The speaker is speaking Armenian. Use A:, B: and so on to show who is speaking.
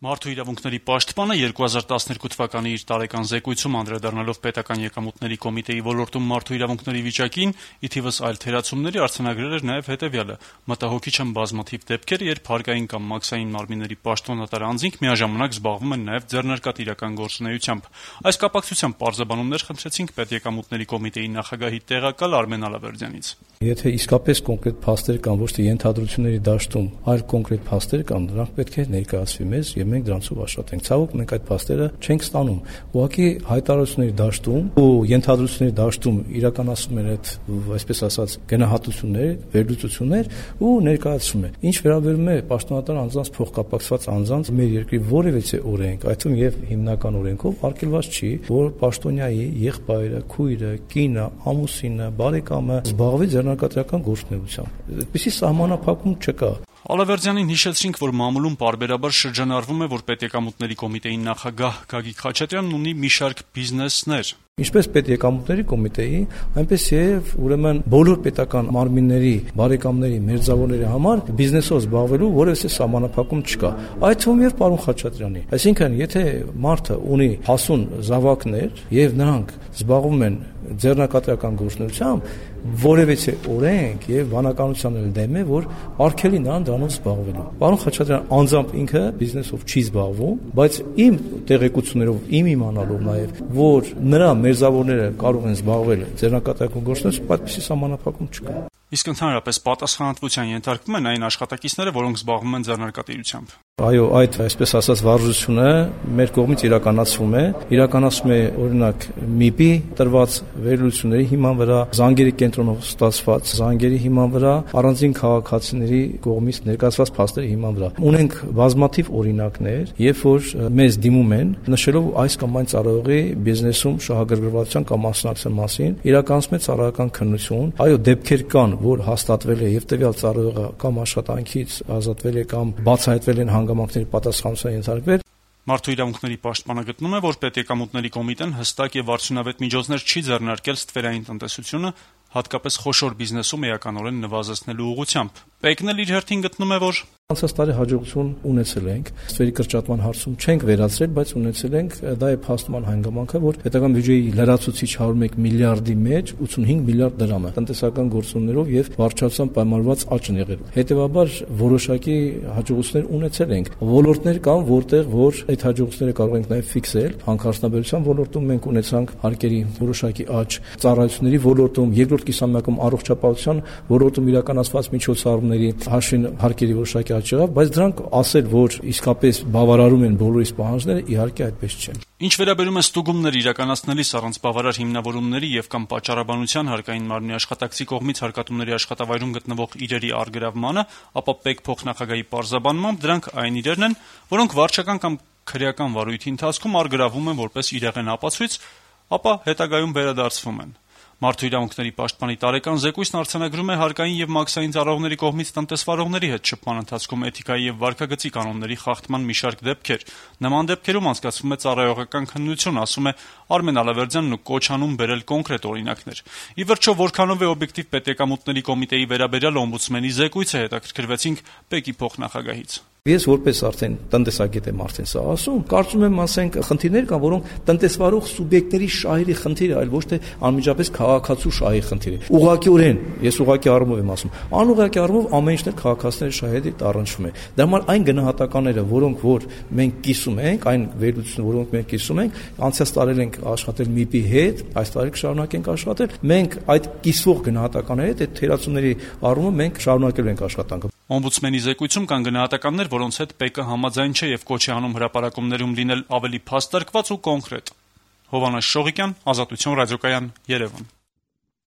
A: Մարդու իրավունքների պաշտպանը 2012 թվականի իր տարեկան զեկույցում անդրադառնալով պետական եկամուտների կոմիտեի ոլորտում մարդու իրավունքների վիճակին, ի թիվս այլ թերացումների արձանագրել էր նաև հետևյալը. մտահոգիչ են բազմաթիվ դեպքեր, երբ հարկային կամ մաքսային մարմինների պաշտոնատար անձինք միաժամանակ զբաղվում են նաև ձեռնարկատիրական գործունեությամբ։ Այս կապակցությամբ պարզաբանումներ խնդրեցինք պետեկամուտների կոմիտեի նախագահի տեղակալ Արմեն Ալավերդյանից։
B: Եթե իսկապես կոնկրետ փաստեր կան, ոչ թե ենթադրությունների դաշտում, այլ կոնկրետ փաստեր կան, դրանք պետք է ներկայացվի մեզ եւ մենք դրանցով աշխատենք։ Ցավոք մենք այդ փաստերը չենք ստանում։ Ուղղակի հայտարարությունների դաշտում ու ենթադրությունների դաշտում իրականացվում են այդ, այսպես ասած, գնահատություններ, վերլուծություններ ու ներկայացում են։ Ինչ վերաբերում է պաշտոնատար անձանց փոխկապակցված անձանց մեր երկրի որևիցե օրենք, այդ թվում եւ հիմնական օրենքով արգելված չի, որ պաշտոնյայի եղբայրը, քույրը, կինը, ամուսինը, բարեկամը զբաղվի ձեռնարկատիրական գործունեությամբ։ Այդպիսի սահմանափակում չկա։
A: Ալավերդյանին հիշեցրինք, որ մամուլում պարբերաբար շրջանառվում է, որ պետեկամուտների կոմիտեի նախագահ Գագիկ Խաչատրյանն ունի մի շարք բիզնեսներ։
B: Ինչպես պետեկամուտների կոմիտեի, այնպես եւ ուրեմն բոլոր պետական մարմինների, բարեկամների, մերձավորների համար բիզնեսով զբաղվելու որևէ սահմանափակում չկա։ Այդ թվում եւ պարոն Խաչատրյանի։ Այսինքն, եթե մարդը ունի հասուն զավակներ եւ նրանք զբաղվում են ձեռնարկատիրական գործունեությամբ, որևէ օրենք եւ բանականության էլ դեմ է, որ արգելի նրան դրանով զբաղվելու։ Պարոն Խաչատրյանը անձամբ ինքը բիզնեսով չի զբաղվում, բայց իմ տեղեկություններով, իմ իմանալով նաեւ, որ նրա մերձավորները կարող են զբաղվել ձեռնարկատիրական գործունեությամբ, այդպիսի սահմանափակում չկա։
A: Իսկ ընդհանրապես պատասխանատվության ենթարկվում են այն աշխատակիցները, որոնք զբաղվում են ձեռնարկատիրությամբ։
B: Այո, այդ այսպես ասած վարժությունը մեր կողմից իրականացվում է օրինակ ՄԻՊ-ի տրված վերլուծությունների հիման վրա, Զանգերի կենտրոնով ստացված զանգերի հիման վրա, առանձին քաղաքացիների կողմից ներկայացված փաստերի հիման վրա։ Ունենք բազմաթիվ օրինակներ, երբ որ մեզ դիմում են, նշելով այս կամ այն ծառայողի բիզնեսում շահագրգռվածության կամ մասնակցության մասին, իրականացում է ծառայական քննություն։ Այո, դեպքեր կան, որ հաստատվել է եւ տվյալ ծառայողը կամ աշխատանքից ազատվել է կամ բացահայտվել են հանգամանքների պատասխանատվության ենթարկվել։
A: Մարդու իրավունքների պաշտպանը գտնում է, որ պետեկամուտների կոմիտեն հստակ եւ արդյունավետ միջոցներ չի ձեռնարկել ստվերային տնտեսությունը, հատկապես խոշոր բիզնեսում էականորեն նվազեցնելու ուղղությամբ։ Պեկն էլ իր հերթին գտնում է, որ
B: անցած տարի հաջողություն ունեցել ենք, ստվերի կրճատման հարցում չենք վերացրել, բայց ունեցել ենք, դա է փաստման հանգամանքը, որ պետական բյուջեի լրացուցիչ 101 միլիարդի մեջ 85 միլիարդ դրամ է տնտեսական գործոններով եւ վարչության պայմանավորված աճ են եղել։ Հետեւաբար որոշակի հաջողություններ ունեցել ենք։ Ոլորտներ կան, որտեղ որ այդ հաջողությունները կարող ենք նաեւ ֆիքսել։ Հանքարդյունաբերության ոլորտում մենք ունեցանք հարկերի որոշակի աճ, ծառայությունների ոլորտում, երկրորդ կիսամյակում առողջապահության ոլորտում իրականացված միջոցառումների հաշվին հարկերի որոշակի բայց դրանք ասել, որ իսկապես բավարարում են բոլորիս պահանջները, իհարկե այդպես չէ։
A: Ինչ վերաբերում է ստուգումներ իրականացնելիս առանց բավարար հիմնավորումների եւ կամ պատճառաբանության հարկային մարմնի աշխատակցի կողմից հարկատուների աշխատավայրում գտնվող իրերի առգրավմանը, ապա ՊԵԿ փոխնախագահի պարզաբանմամբ դրանք այն իրերն են, որոնք վարչական կամ քրեական վարույթի ընթացքում առգրավում են որպես իրեղեն ապացույց, ապա հետագայում վերադարձվում են։ Մարդու իրավունքների պաշտպանի տարեկան զեկույցն արձանագրում է հարկային եւ մաքսային ծառայողների կողմից տնտեսվարողների հետ շփման ընթացքում էթիկայի եւ վարքագծի կանոնների խախտման մի շարք դեպքեր։ Նման դեպքերում անցկացվում է ծառայողական քննություն, ասում է Արմեն Ալավերդյանն ու կոչ անում բերել կոնկրետ օրինակներ։ Ի վերջո, որքանով է օբյեկտիվ պետեկամուտների կոմիտեի վերաբերյալ օմբուդսմենի զեկույցը, հետաքրքրվեցինք ՊԵԿ-ի փոխնախագահից։
B: Ես որպես արդեն տնտեսագետ եմ արդեն սա ասում, կարծում եմ ասենք խնդիրներ կան, որոնք տնտեսվարող սուբյեկտների շահերի խնդիր է, այլ ոչ թե անմիջապես քաղաքացու շահի խնդիր է։ Ուղղակիորեն, ես ուղղակի առումով եմ ասում, անուղղակի առումով ամեն ինչն էլ քաղաքացիների շահերի առնչվում է։ Դա համար այն գնահատականները, որոնք որ մենք կիսում ենք, այն վերլուծությունները, որոնք մենք կիսում ենք, անցած տարի ենք աշխատել ՄԻՊ-ի հետ, այս տարի կշարունակենք աշխատել, մենք այդ կիսվող գնահատականների հետ, այդ թերացումների առումով մենք շարունակելու ենք աշխատանքը։
A: Օմբուդսմենի զեկույցում կան գնահատականներ, որոնց հետ ՊԵԿ-ը համաձայն չէ եւ կոչ է անում հրապարակումներում լինել ավելի փաստարկված ու կոնկրետ։ Հովհաննես Շողիկյան, Ազատություն ռադիոկայան, Երևան։